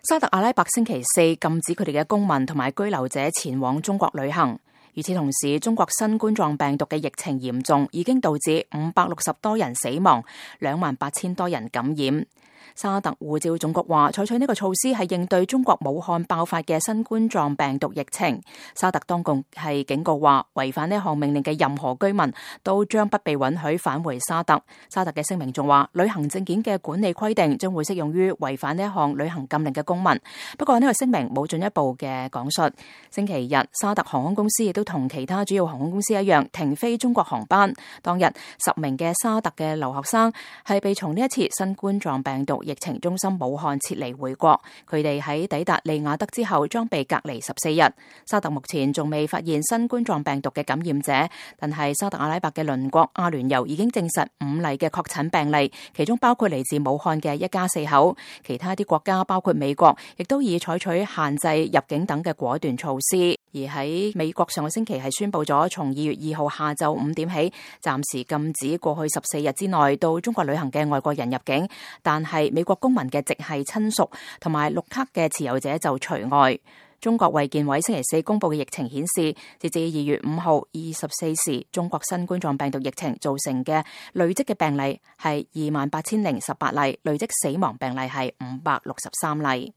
沙特阿拉伯星期四禁止佢哋嘅公民同埋居留者前往中國旅行。與此同時，中國新冠狀病毒嘅疫情嚴重，已經導致560多人死亡，28,000多人感染。沙特護照總局話，採取呢個措施係應對中國武漢爆發嘅新冠狀病毒疫情。沙特當局係警告話，違反呢項命令嘅任何居民都將不被允許返回沙特。沙特嘅聲明仲話，旅行證件嘅管理規定將會適用於違反呢一項旅行禁令嘅公民。不過呢個聲明冇進一步嘅講述。星期日，沙特航空公司亦都同其他主要航空公司一樣停飛中國航班。當日10名嘅沙特嘅留學生係被從呢一次新冠狀病毒疫情中心武漢撤離回國，佢哋喺抵達利雅得之後將被隔離14日。沙特目前仲未發現新冠狀病毒嘅感染者，但係沙特阿拉伯嘅鄰國阿聯酋已經證實5例嘅確診病例，其中包括嚟自武漢嘅一家4口。其他啲國家包括美國，亦都已採取限制入境等嘅果斷措施。而喺美國上個星期係宣布咗，從2月2號下晝5點起，暫時禁止過去14日之內到中國旅行嘅外國人入境，但係美國公民嘅直系親屬同埋綠卡嘅持有者就除外。中國衛健委星期四公布嘅疫情顯示，截至2月5號24時，中國新冠狀病毒疫情造成嘅累積嘅病例係28,018例，累積死亡病例係563例。